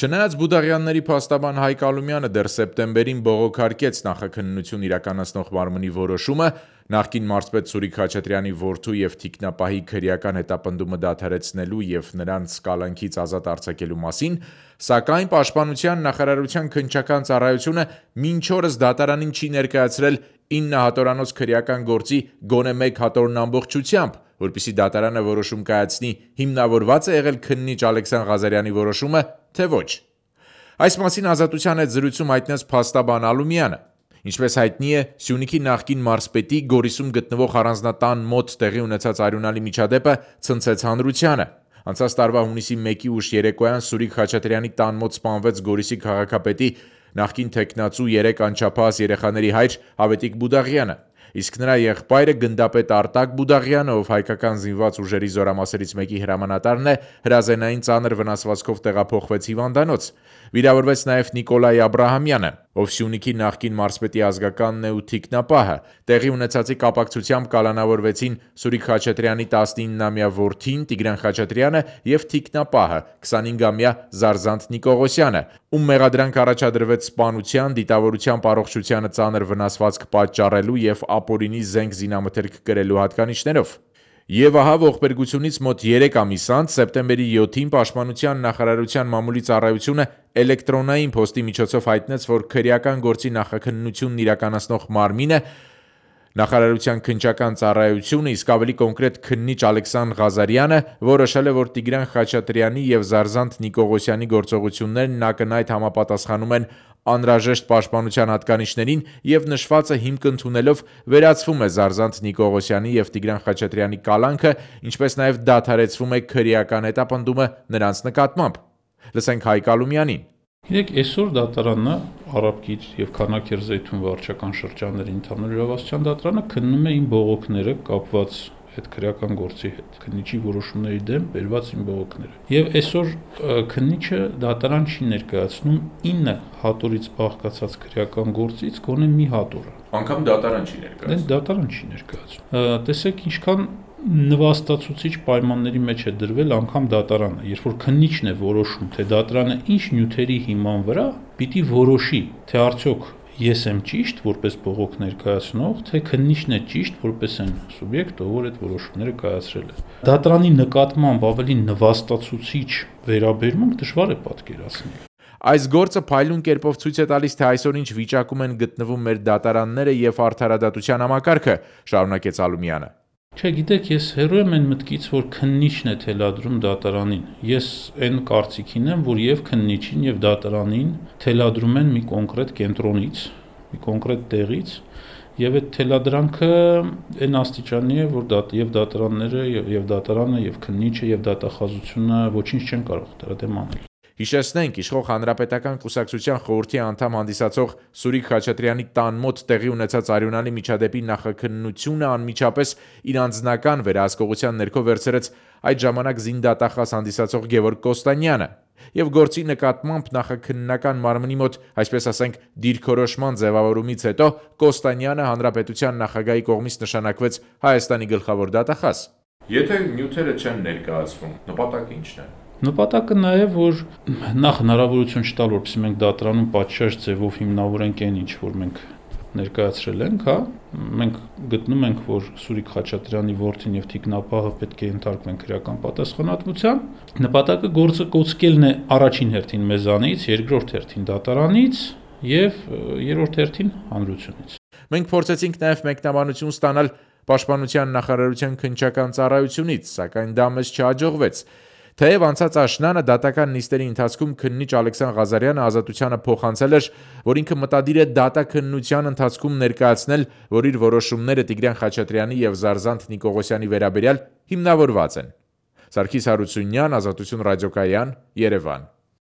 Չնայած Բուդաղյանների փաստաբան Հայկ Ալումյանը դեռ սեպտեմբերին բողոքարկեց նախաքննություն իրականացնող մարմնի որոշումը, նախկին մարզպետ Սուրիկ Խաչատրյանի որդու եւ թիկնապահի քրեական հետապնդումը դադարեցնելու եւ նրանց կալանքից ազատ արձակելու մասին, սակայն Պաշտպանության նախարարության քննչական ծառայությունը մինչ օրս դատարանին չի ներկայացրել 9 հատորանոց քրեական գործի գոնե 1 հատորն ամբողջությամբ, որպեսզի դատարանը որոշում կայացնի հիմնավորված է եղել քննիչ Ալեքսան Ղազարյանի որոշումը, թե ոչ։ Այս մասին Ազատության հետ զրույցում հայտնեց փաստաբան Ալումյանը։ Ինչպես հայտնի է, Սյունիքի նախկին մարզպետի Գորիսում գտնվող առանձնատան մոտ տեղի ունեցած արյունալի միջադեպը ցնցեց հանրությանը։ Անցած տարվա հունիսի 1-ի ուշ երեկոյան Սուրիկ Խաչատրյանի տան մոտ սպանվեց Գորիսի քաղաքապետի նախկին թեկնածու 3 անչափահաս երեխաների հայր Ավետիք Բուդաղյանը, իսկ նրա եղբայրը գնդապետ Արտակ Բուդաղյանը, ով հայկական զինված ուժերի զորամասերից մեկի հրամանատարն է, հրազենային ծանր վնասվածքով տեղափոխվեց հիվանդանոց։ Վիրավորվեց նաև Նիկոլայ Աբրահամյանը, ով Սյունիքի նախկին մարզպետի ազգականն է ու թիկնապահը։ Տեղի ունեցածի կապակցությամբ կալանավորվեցին Սուրիկ Խաչատրյանի 19-ամյա որդին Տիգրան Խաչատրյանը եւ թիկնապահը 25-ամյա Զարզանտ Նիկողոսյանը, ում մեղադրանք առաջադրվեց սպանության, դիտավորության առողջությանը ծանր վնասվածք պատճառելու եւ ապօրինի զենք զինամթերք կրելու հատկանիշներով։ Եվ ահա ողբերգությունից մոտ 3 ամիս անց սեպտեմբերի 7-ին Պաշտպանության նախարարության մամուլի ծառայությունը էլեկտրոնային փոստի միջոցով հայտնեց, որ քրեական գործի նախաքննությունն իրականացնող մարմինը նախարարության քննչական ծառայությունը, իսկ ավելի կոնկրետ քննիչ Ալեքսան Ղազարյանը որոշել է, որ Տիգրան Խաչատրյանի եւ Զարզանտ Նիկողոսյանի գործողություններն ակնհայտ համապատասխանում են անհրաժեշտ պաշտպանության հատկանիշներին եւ նշվածը հիմք ընդունելով վերացվում է Զարզանտ Նիկողոսյանի եւ Տիգրան Խաչատրյանի կալանքը, ինչպես նաեւ դադարեցվում է քրեական հետապնդումը նրանց նկատմամբ։ Լսենք Հայկ Ալումյանին։ Գիտեք, այսօր դատարանը Արաբկիր եւ Քանաքերզեյթուն վարչական շրջանների ընդհանուր իրավասության դատարանը քննում է իմ բողոքները կապված այդ քրեական գործի հետ, քննիչի որոշումների դեմ բերված իմ բողոքները։ Եվ այսօր քննիչը դատարան չի ներկայացնում 9 հատորից բաղկացած քրեական գործից գոնե մի հատորը։ Անկամ դատարան չի ներկայացնում։ Դատարան չի ներկայացնում։ Տեսեք, ինչքան նվաստացուցիչ պայմանների մեջ է դրվել անգամ դատարանը, երբ որ քննիչն է որոշում, թե դատարանը ինչ նյութերի հիման վրա պիտի որոշի, թե արդյոք ես եմ ճիշտ որպես բողոք ներկայացնող, թե քննիչն է ճիշտ որպես այն սուբյեկտ, ով որ այդ որոշումները կայացրել է։ Դատարանի նկատմամբ ավելի նվաստացուցիչ վերաբերմունք դժվար է պատկերացնել։ Այս գործը փայլուն կերպով ցույց է տալիս, թե այսօր ինչ վիճակում են գտնվում մեր դատարանները եւ արդարադատության համակարգը, շարունակեց Ալումյանը։ Չէ, գիտեք, ես հեռու եմ այն մտքից, որ քննիչն է թելադրում դատարանին։ Ես այն կարծիքին եմ, որ եւ քննիչին եւ դատարանին թելադրում են մի կոնկրետ կենտրոնից, մի կոնկրետ տեղից, եւ այդ թելադրանքը այն աստիճանի է, որ եւ դատարանները եւ դատարանը եւ քննիչը եւ դատախազությունը ոչինչ չեն կարող դրա դեմ անել։ Հիշեցնենք, իշխող Հանրապետական կուսակցության խորհրդի անդամ հանդիսացող Սուրիկ Խաչատրյանի տան մոտ տեղի ունեցած արյունալի միջադեպի նախաքննությունը անմիջապես իր անձնական վերահսկողության ներքո վերցրեց այդ ժամանակ զինդատախազ հանդիսացող Գևորգ Կոստանյանը, եւ գործի նկատմամբ նախաքննական մարմնի մոտ, այսպես ասենք, դիրքորոշման ձևավորումից հետո Կոստանյանը հանրապետության նախագահի կողմից նշանակվեց Հայաստանի գլխավոր դատախազ։ Եթե նյութերը չեն ներկայացվում, նպատակը ի՞նչն է։ Նպատակը նա է, որ նախ հնարավորություն չտալ, որպեսզի մենք դատարանում պատշաճ ձևով հիմնավորենք այն ինչ, որ մենք ներկայացրել ենք, հա, մենք գտնում ենք, որ Սուրիկ Խաչատրյանի որդին եւ թիկնապահը պետք է ենթարկվեն քրեական պատասխանատվության։ Նպատակը գործը կոծկելն է առաջին հերթին մեզանից, երկրորդ հերթին դատարանից եւ երրորդ հերթին հանրությունից։ Մենք փորձեցինք նաեւ մեկնաբանություն ստանալ Պաշտպանության նախարարության քննչական ծառայությունից, սակայն դա մեզ չհաջողվեց։ Թեև անցած աշնանը դատական նիստերի ընթացքում քննիչ Ալեքսան Ղազարյանը Ազատությանը փոխանցել էր, որ ինքը մտադիր է դատաքննության ընթացքում ներկայացնել, որ իր որոշումները Տիգրան Խաչատրյանի եւ Զարզանտ Նիկողոսյանի վերաբերյալ հիմնավորված են։ Սարգիս Հարությունյան, Ազատություն ռադիոկայան, Երևան։